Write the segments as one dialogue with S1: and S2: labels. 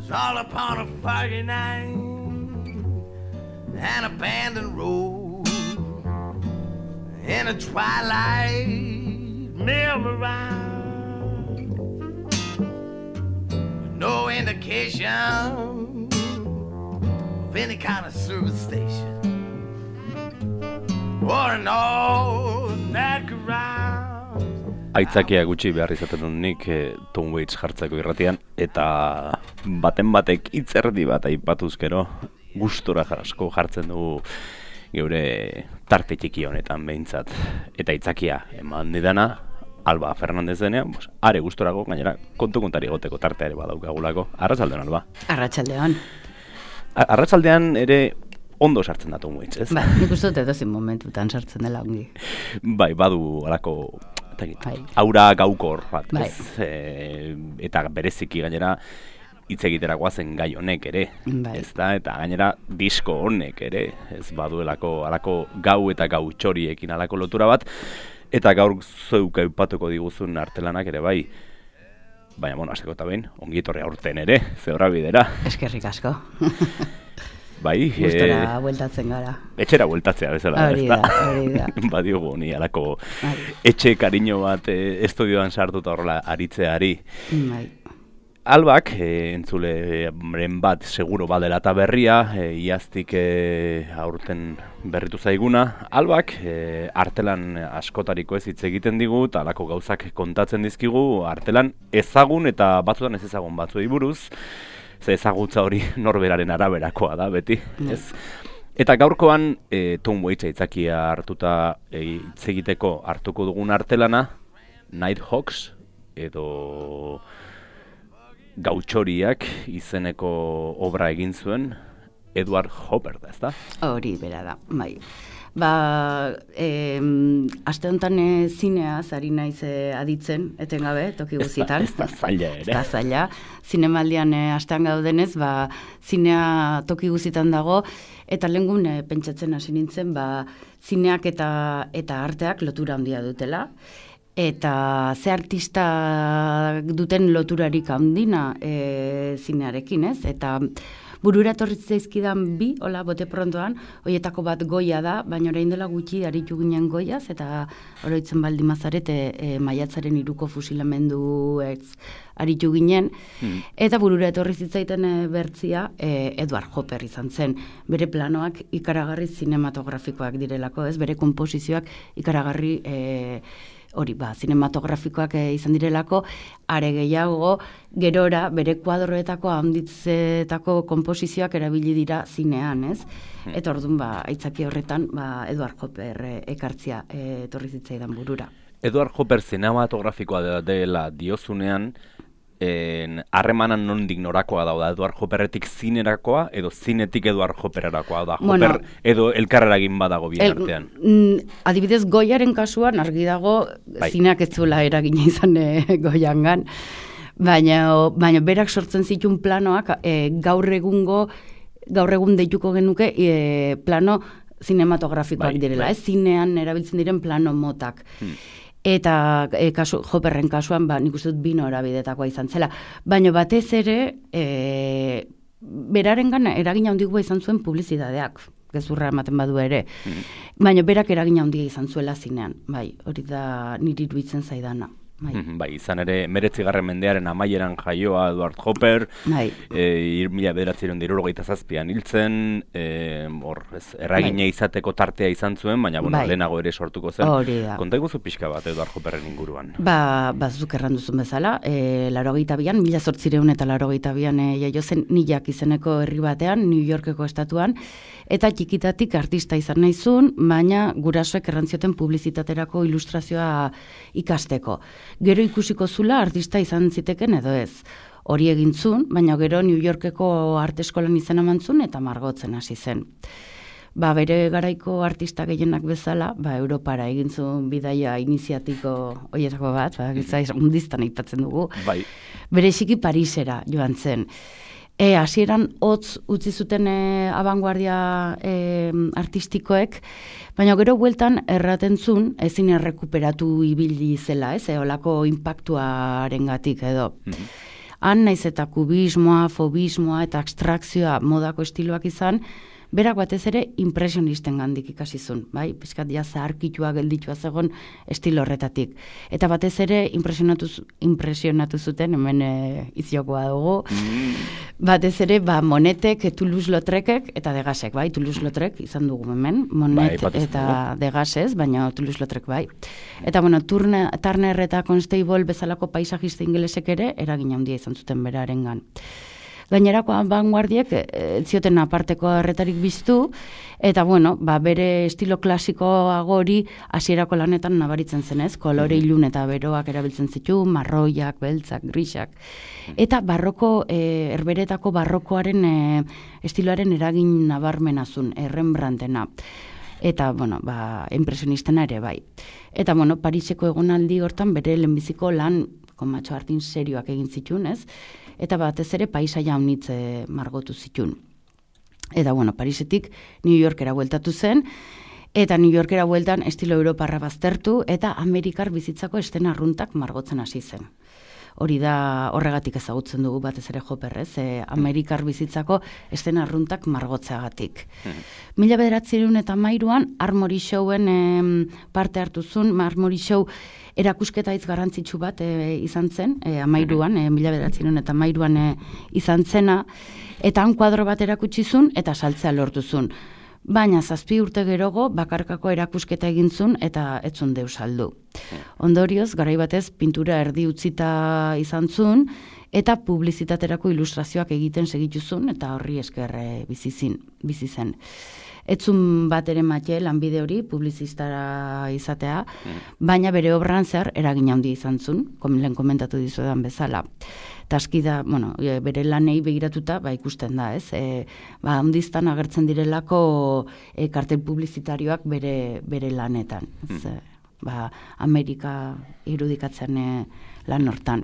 S1: was all upon a foggy night, an abandoned road in a twilight memorized, with no indication of any kind of service station or an all-night garage.
S2: Aitzakia gutxi behar izaten dut nik Tom Waits jartzeko irratian, eta baten batek hitzerdi bat aipatuz gero gustora asko jartzen dugu geure tarte txiki honetan behintzat. Eta aitzakia eman didana Alba Fernandez denean, are gustorako, gainera kontu kontari egoteko tarteare badaukagulako. Arratsaldeon, Alba.
S3: Arratsaldeon.
S2: Arratsaldean ere ondo sartzen da Tom Waits, ez?
S3: Ba, nik uste dut edozein momentutan sartzen dela ongi.
S2: Bai, badu alako aura gaukor bat,
S3: bai.
S2: Eta bereziki gainera hitz egiterakoa zen gai honek ere,
S3: bai.
S2: Ez da, eta gainera disko honek ere, ez baduelako alako gau eta gau txoriekin alako lotura bat, eta gaur zeuk aipatuko diguzun artelanak ere bai. Baina, bueno, hasteko eta behin, ongi etorri aurten ere, zehorra bidera.
S3: Eskerrik asko.
S2: Bai,
S3: gustora bueltatzen gara.
S2: Etxera bueltatzea bezala,
S3: hori da.
S2: Badiogu ni alako etxe kariño bat estudioan sartuta horrela aritzeari.
S3: Bai.
S2: Albak, entzuleren bat seguro badela eta berria, iaztik aurten berritu zaiguna. Albak, artelan askotariko ez hitz egiten digu, eta alako gauzak kontatzen dizkigu, artelan ezagun eta batzutan ez ezagun batzuei buruz, ze ezagutza hori norberaren araberakoa da, beti, ez? Eta gaurkoan, Tom Waits aitzakia hartuta hitz egiteko hartuko dugun artelana, Nighthawks, edo Gautxoriak izeneko obra egin zuen Edward Hopper da, ezta?
S3: Hori bera da, bai. Ba, aste honetan zineaz ari naiz aditzen, etengabe, toki guzitan.
S2: Ez da zaila ere.
S3: Ez da zaila. Zinemaldian astean gaudenez, ba, zinea toki guzitan dago, eta lehengun pentsatzen hasi nintzen, ba, zineak eta arteak lotura handia dutela. Eta ze artista duten loturarik handina zinearekin, ez? Eta burura etorri zaizkidan bi, hola, bote prontoan, horietako bat Goya da, baina orain dela gutxi aritu ginen Goiaz, eta oroitzen baldin mazarete maiatzaren 3ko fusilamendu aritu ginen, eta burura etorri zitzaiten bertzia Edward Hopper izan zen. Bere planoak ikaragarri zinematografikoak direlako, ez? Bere konposizioak ikaragarri hori, zinematografikoak izan direlako, are gehiago, gerora, bere kuadroetako handitzetako konposizioak erabili dira zinean, ez? Eta orduan, aitzaki horretan, Edward Hopper ekartzia etorri zitzaidan burura.
S2: Edward Hopper zinematografikoa dela diozunean, harremanan nondik norakoa da Edward Hopperretik zinerakoa, edo zinetik Edward Hoppererakoa da, Hopper edo elkarreragin badago bien artean.
S3: Adibidez, Goyaren kasuan argi dago zineak ez zuela eragina izan Goyangan, baina berak sortzen zituen planoak gaur egun deituko genuke plano zinematografikoak direla, zinean erabiltzen diren plano motak. Eta Hopperren kasuan, nik uste dut bino erabidetakoa izan zela. Baina batez ere, berarengan eragina handia izan zuen publizitateak, gezurra ematen badu ere. Baina berak eragina handia izan zuela zinean, bai, hori da niri iruditzen zaidana.
S2: Bai, izan ere, 19. mendearen amaieran jaioa Edward Hopper, 1977an hiltzen, erragina izateko tartea izan zuen, baina lehenago ere sortuko zen. Konta iguzu pixka bat Edward Hopperren inguruan?
S3: Zuk erranduzun bezala, 1882an jaio zen New York izeneko herri batean, New Yorkeko estatuan, eta txikitatik artista izan nahizun, baina gurasoek errantzioten publizitaterako ilustrazioa ikasteko. Gero ikusiko zula artista izan ziteken edo ez. Hori egintzun, baina gero New Yorkeko arte eskolan izena mantzun eta margotzen hasi zen. Bere garaiko artista gehienak bezala, Europara egintzun bidaia iniziatiko horietako bat, undiztan aipatzen dugu, bereziki Parisera joan zen. Hasieran hotz utzi zuten abanguardia artistikoek, baina gero bueltan erraten zuen ezin errekuperatu ibili zela, olako inpaktuarengatik edo. Han naiz eta kubismoa, fobismoa eta abstrakzioa modako estiloak izan, berak batez ere impresionisten gandik ikasizun, bai? Piskat ja zaharkitua gelditua zegon estilo horretatik. Eta batez ere impresionatu zuten, hemen iziokoa dugu, batez ere Monetek, Toulouse-Lautrecek eta Degasek, bai? Toulouse-Lautrec izan dugu hemen, Monet eta Degasez, baina Toulouse-Lautrec bai. Eta bueno, Turner eta Constable bezalako paisajista ingelesek ere eragin handia izan zuten berarengan. Gainerako vanguardiek zioten aparteko erretarik biztu, eta bueno, bere estilo klasikoago hori hasierako lanetan nabaritzen zenez, kolore ilun eta beroak erabiltzen zitu, marroiak, beltzak, grisak. Eta herberetako barrokoaren estiloaren eragin nabarmenazun, Rembrandtena. Eta, bueno, impresionistena ere bai. Eta, bueno, Pariseko egonaldi hortan bere lehenbiziko lan komatxo hartin serioak egin zituen, ez? Eta batez ere paisaia honitze margotu zituen. Eta, bueno, Parisetik New Yorkera bueltatu zen, eta New Yorkera bueltan estilo europarra baztertu, eta Amerikar bizitzako estena arruntak margotzen hasi zen. Hori da horregatik ezagutzen dugu batez ere Hopperrez, Amerikar bizitzako estena arruntak margotzeagatik. 1913an Armory Showen parte hartu zuen, Armory Show erakusketa hitz garrantzitsu bat izan zen, 1913an izan zena, eta han kuadro bat erakutsi zuen eta saltzea lortu zuen. Baina 7 urte gerogo bakarkako erakusketa egin zuen eta ez zuen deus saldu. Ondorioz, garai batez pintura erdi utzita izan zuen eta publizitaterako ilustrazioak egiten segitu zuen eta horri esker bizi zen. Etzun bat ere matxe lanbide hori publizistara izatea, baina bere obran zehar eragin handia izan zuen, lehen komentatu dizuedan bezala. Taski da, bueno, bere lanei begiratuta, ikusten da, ez? Handiztan agertzen direlako kartel publizitarioak bere lanetan. Amerika irudikatzen lan hortan.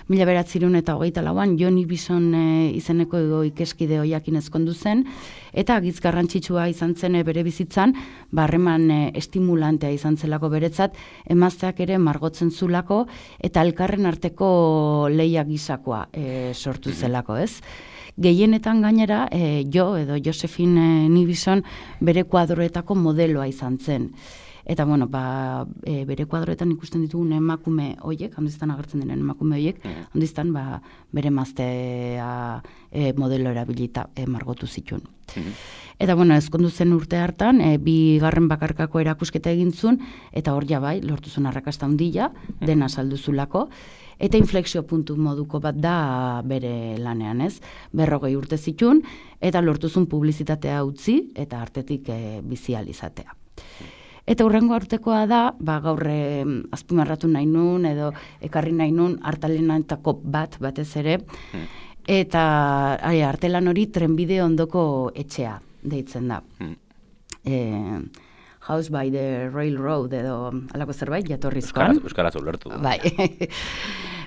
S3: 1924an Johnny Bison izeneko ikeskide hoiakin ezkondu zen, eta agitz garrantzitsua izan zen bere bizitzan, harreman estimulantea izan zelako beretzat, emazteak ere margotzen zulako, eta elkarren arteko leia gisakoa sortu zelako, ez? Gehienetan gainera, Josephine Nibison bere kuadroetako modeloa izan zen. Eta, bueno, bere kuadroetan ikusten ditugun emakume hoiek, handiztan agertzen diren emakume hoiek, handiztan bere maztea modelo erabilita margotu zituen. Eta, bueno, ezkondu zen urte hartan, 2. bakarkako erakusketa egin zuen, eta hor bai, lortu zuen arrakasta handia, dena saldu zulako, eta inflexio puntu moduko bat da bere lanean, ez? 40 urte zituen, eta lortu zuen publizitatea utzi, eta artetik bizial izatea. Eta hurrengo urtekoa da, gaur azpimarratu nahi nun, edo ekarri nahi nun, artalenetako batez ere, eta artelan hori trenbide ondoko etxea deitzen da. House by the Railroad, edo alako zerbait, jatorrizkoan.
S2: Euskaraz ulertu.
S3: Bai.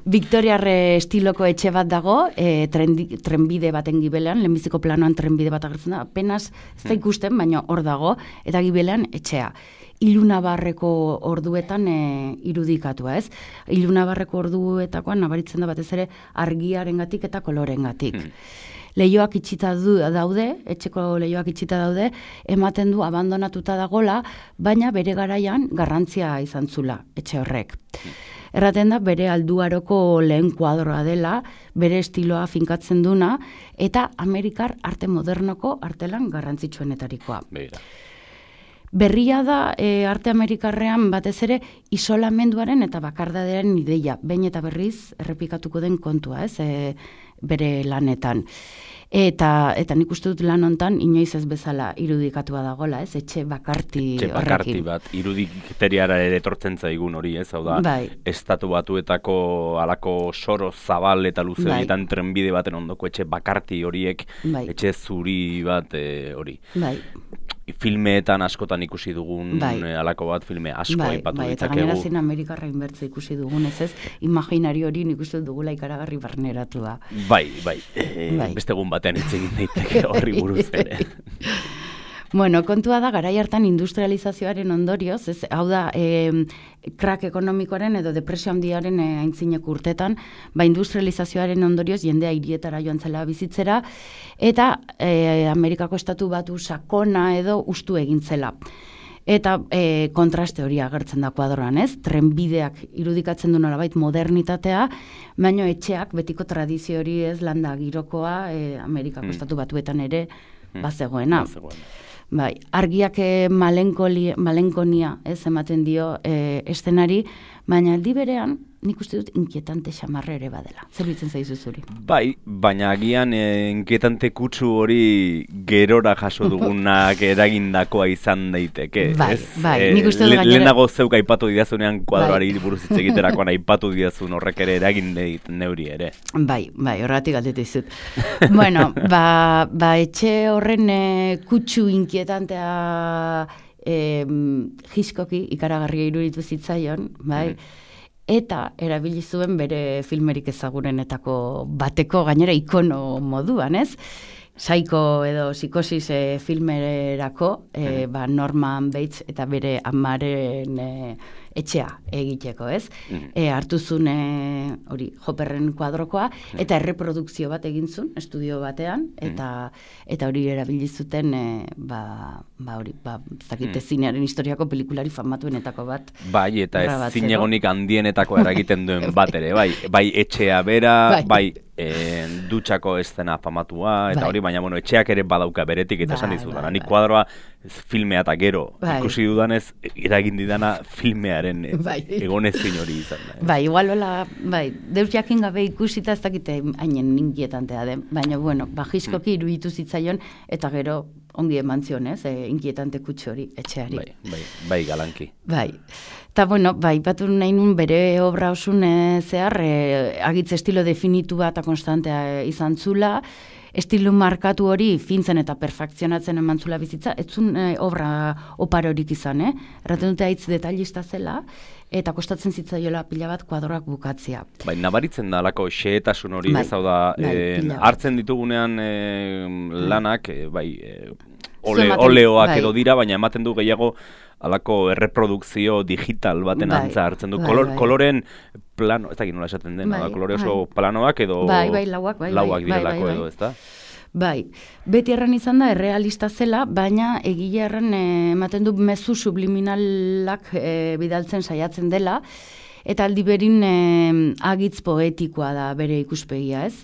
S3: Victoriar estiloko etxe bat dago, trenbide baten gibelean, lehenbiziko planoan trenbide bat agertzen da, apenas ez da ikusten, baina hor dago, eta gibelean etxea. Ilunabarreko orduetan irudikatua, ez? Ilunabarreko orduetakoan nabaritzen da batez ere argiarengatik eta kolorengatik. Leioak itxita daude, etxeko leioak itxita daude, ematen du abandonatuta dagola, baina bere garaian garrantzia izan zula etxe horrek. Erraten da bere alduaroko lehen kuadroa dela, bere estiloa finkatzen duna, eta Amerikar arte modernoko artelan garrantzitsuenetarikoa. Berria da arte amerikarrean batez ere isolamenduaren eta bakardadearen ideia, behin eta berriz errepikatuko den kontua, ez, bere lanetan. Eta nik uste dut lan hontan inoiz ez bezala irudikatua dagola, ez, etxe bakarti horrekin.
S2: Etxe bakarti bat, irudikteriara ere etortzen zaigun hori, ez, hau da, Estatu Batuetako alako soro zabal eta luze horietan trenbide baten ondoko etxe bakarti horiek, etxe zuri bat hori. Filmeetan askotan ikusi dugun alako bat, filme asko aipatu ditzakegu. Eta
S3: gainera zin Amerikarra inbertze ikusi dugun, ez, imaginari hori nik uste dugula ikaragarri barneratu da.
S2: Bai, beste egun batean hitz egin daiteke horri buruz ere.
S3: Bueno, kontua da, garai hartan industrializazioaren ondorioz, ez, hau da, krak ekonomikoaren edo depresio handiaren aintzineko urtetan, industrializazioaren ondorioz jendea hirietara joan zela bizitzera, eta Amerikako estatu batu sakona edo ustu egin zela. Eta kontraste hori agertzen da kuadroan, ez? Trenbideak irudikatzen du nolabait modernitatea, baina etxeak betiko tradizio hori ez landa girokoa Amerikako estatu batuetan ere bazegoena. Bai, argiak malenkonia ez ematen dio estenari, baina aldi berean nik uste dut inkietante xamarre ere badela. Zer bitzen zaizu zuri?
S2: Bai, baina agian inkietante kutsu hori gerora jaso dugunak eragindakoa izan daiteke.
S3: Bai,
S2: ez?
S3: Nik uste dut
S2: lehenago zeuk aipatu didazunean kuadroari buruz hitz egiterakoan aipatu didazun horrek ere eragin neuri ere.
S3: Bai, horregatik galdetu dizut. Bueno, etxe horren kutsu inkietantea jiskoki ikaragarria iruditu zitzaion, bai, eta erabili zuen bere filmerik ezagunenetako bateko gainera ikono moduan, ez? Saiko edo psikosis filmerako Norman Bates eta bere amaren etxea egiteko, ez? Hartuzun hori Hopperren kuadrokoa eta erreprodukzio bat egin zuen estudio batean eta hori erabili zuten hori, zakite zinearen historiako pelikulari famatuenetako bat.
S2: Bai, eta ez zinegonik handienetako eragiten duen bat ere, bai etxea bera, bai dutxako eszena famatua, eta hori, baina etxeak ere badauka beretik, eta esan dizu, nik kuadroa filmea eta gero ikusi dudanez, eragin didana filmearen egonezin hori izan da.
S3: Bai, igual hola, deus jakin gabe ikusita ez dakite hainen inkietantea den, baina, jiskoki iruditu zitzaion, eta gero ongi eman zion, ez, inkietante kutsu hori etxeari.
S2: Bai, galanki.
S3: Bai. Eta, batu nahi nun bere obra osun zehar, agitz estilo definitu bat konstantea izan zula, estilo markatu hori fintzen eta perfekzionatzen eman zula bizitza, ez zun obra oparorik izan, erraten dute haitz detailista zela, eta kostatzen zitzaiola pila bat kuadroak bukatzea.
S2: Nabaritzen da alako xehetasun hori, ez hau da, hartzen ditugunean lanak, oleoak edo dira, baina ematen du gehiago alako erreprodukzio digital baten antza hartzen du. Koloren plano, ez dakit nola esaten den, kolore oso planoak edo lauak direlako edo, ez da?
S3: Bai, beti erran izan da errealista zela, baina egile erran ematen du mezu subliminalak bidaltzen saiatzen dela, eta aldi berin agitz poetikoa da bere ikuspegia, ez?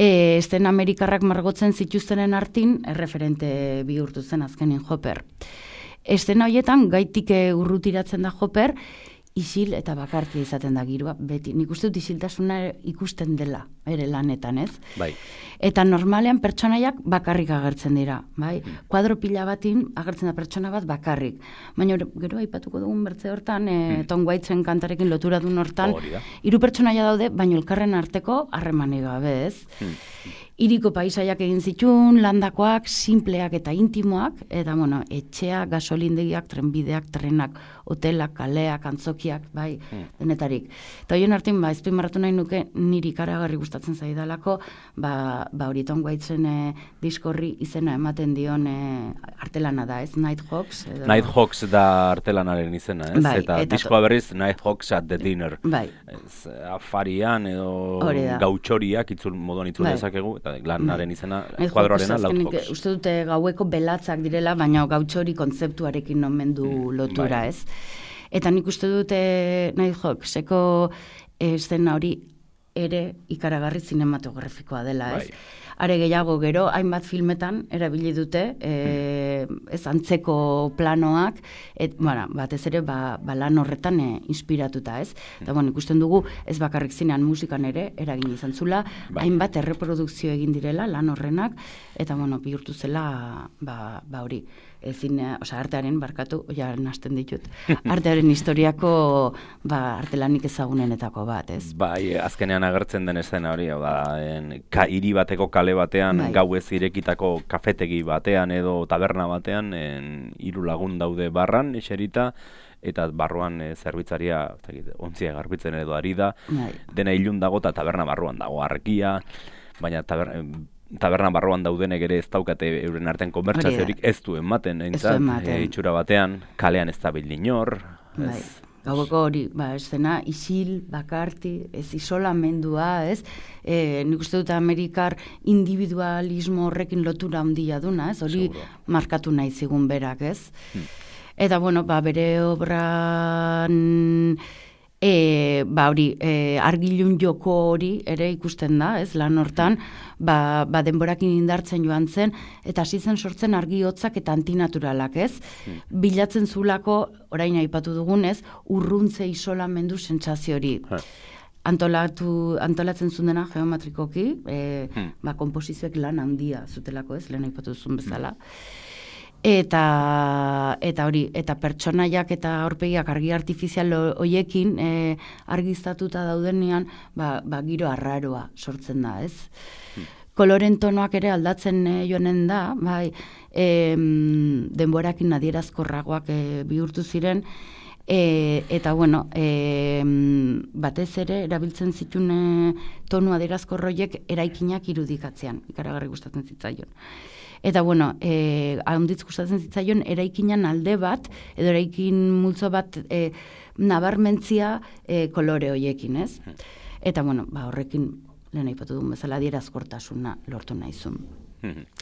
S3: Esten Amerikarrak margotzen zituztenen artin, erreferente bihurtu zen azkenin Hopper. Estena horietan gaitik urrutiratzen da Hopper, isil eta bakartia izaten da giroa, beti. Nik uste dut isiltasuna ikusten dela, ere lanetan, ez?
S2: Bai.
S3: Eta normalean pertsonaiak bakarrik agertzen dira, bai? Kuadro pila batin agertzen da pertsona bat bakarrik. Baina gero aipatuko dugun bertze hortan, Tom Waitsen kantarekin lotura duen hortan, 3 pertsonaia daude, baina elkarren arteko harremanik gabe, ez? Hiriko paisaiak egin zituen, landakoak, simpleak eta intimoak, eta etxeak, gasolindegiak, trenbideak, trenak, hotelak, kaleak, antzokiak, bai, denetarik. Eta horien artean, ezpimarratu nahi nuke, niri ikaragarri gustatzen zaidalako, hori Tom Waitsen diskorri izena ematen dion artelana da, ez? Nighthawks.
S2: Nighthawks da artelanaren izena, ez? Eta diskoa berriz, Nighthawks at the Dinner.
S3: Bai.
S2: Afarian edo gautxoriak moduan itzul dezakegu, eta lanaren izena, kuadroarena Nighthawks.
S3: Uste dute gaueko belatzak direla, baina gautxori kontzeptuarekin omen du lotura, ez? Eta nik uste dute Nighthawkseko eszena hori ere ikaragarri zinematografikoa dela, ez? Are gehiago gero, hainbat filmetan erabili dute, ez antzeko planoak, batez ere lan horretan inspiratuta, ez? Eta ikusten dugu, ez bakarrik zinean musikan ere, eragin izan zula, hainbat erreprodukzio egin direla lan horrenak, eta bihurtu zela, hori, artearen, barkatu, nasten ditut, artearen historiako artelanik ezagunenetako bat, ez?
S2: Bai, azkenean agertzen den eszena hori, hiri bateko kale batean, gauez irekitako kafetegi batean edo taberna batean, 3 lagun daude barran, eserita, eta barruan zerbitzaria ontzia garbitzen edo ari da, dena ilun dago eta taberna barruan dago argia, baina taberna barruan daudenek ere ez daukate euren artean konbertsaziorik ez du ematen, itxura batean, kalean ez da inor.
S3: Gaueko hori, escena isil, bakarti, ez isolamendua, ez? Nik uste dut Amerikar individualismo horrekin lotura handia duna, ez? Hori markatu nahi zigun berak, ez? Eta, bueno, bere obran... argilun joko hori ere ikusten da, ez, lan hortan, denborakin indartzen joan zen, eta hasi zen sortzen argi hotzak eta antinaturalak, ez? Bilatzen zulako, orain aipatu dugunez, urruntze isolamendu sentsazio hori. Antolatzen zuen dena geometrikoki, konposizioek lan handia zutelako, ez, lehen aipatu duzun bezala. Eta hori, eta pertsonaiak eta aurpegiak argi artifizial hoiekin argiztatuta daudenean, giro arraroa sortzen da, ez? Koloren tonoak ere aldatzen joanen da, denborakin adierazkorragoak bihurtu ziren, eta bueno, batez ere erabiltzen zituen tonu adierazkor horiek eraikinak irudikatzean, ikaragarri gustatzen zitzaion. Eta, bueno, handitz gustatzen zitzaion eraikinan alde bat, edo eraikin multzo bat nabarmentzia kolore hoiekin, ez? Eta, bueno, horrekin, lehen aipatu duen bezala, adierazkortasuna lortu nahizun.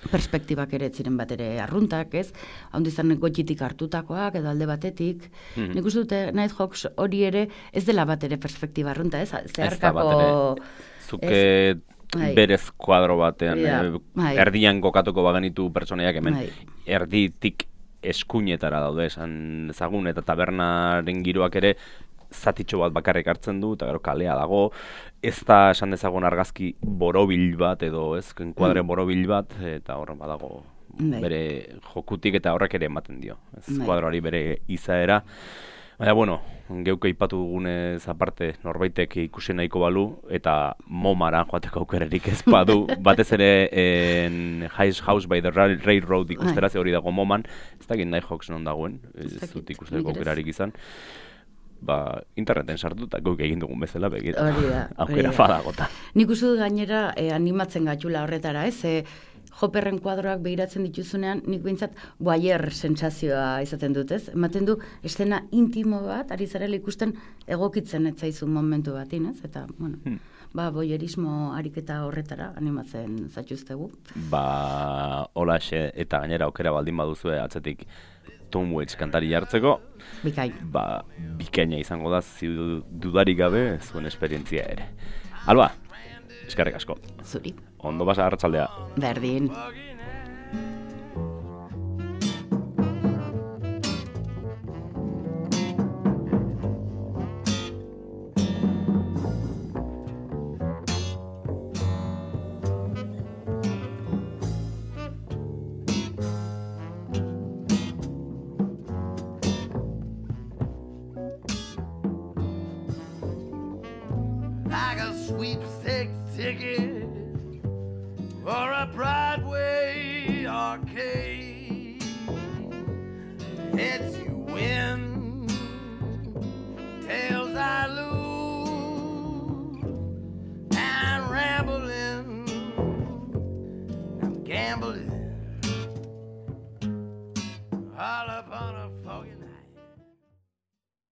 S3: Perspektibak ere ziren bat ere arruntak, ez? Handizan gotxitik hartutakoak, edo alde batetik. Nik uste dute Nighthawks hori ere ez dela bat ere perspektiba arrunta, ez? Zeharkako...
S2: Zuke... berez kuadro batean, erdian kokatuko bagenitu pertsonaiak hemen, erditik eskuinetara daude esan ezagun, eta tabernaren giroak ere zatitxo bat bakarrik hartzen du, eta gero kalea dago, ez da esan dezagun argazki borobil bat, edo ez, kuadre borobil bat, eta horren badago bere jokutik eta horrek ere ematen dio, ez kuadroari bere izaera. Baina, bueno, geuke aipatu dugunez aparte norbaitek ikusi nahiko balu, eta MoMara joateko aukerarik ez badu, batez ere House by the Railroad ikustera, ze hori dago MoMan, ez dakit Nighthawks non dagoen, ez dut ikusteko aukerarik izan. Interneten sartu eta guk egin dugun bezala begit, aukera fadagota.
S3: Nik uste dut gainera animatzen gatxula horretara, ez? Hopperren kuadroak behiratzen dituzunean, nik behintzat voyeur sentsazioa izaten dut, ez? Ematen du, estena intimo bat, ari zarela ikusten egokitzen etzaizun momentu batin, ez? Eta, bueno, voyeurismo ariketa horretara animatzen zaituztegu.
S2: Holaxe, eta gainera aukera baldin baduzue atzetik Tom Waits kantari jartzeko.
S3: Bikain.
S2: Bikaina izango da, dudarik gabe, zuen esperientzia ere. Alba, eskerrik asko.
S3: Zuri.
S2: Ondo basa arratsaldea.
S3: Berdin.
S1: Like a sweepstake ticket for a Broadway arcade.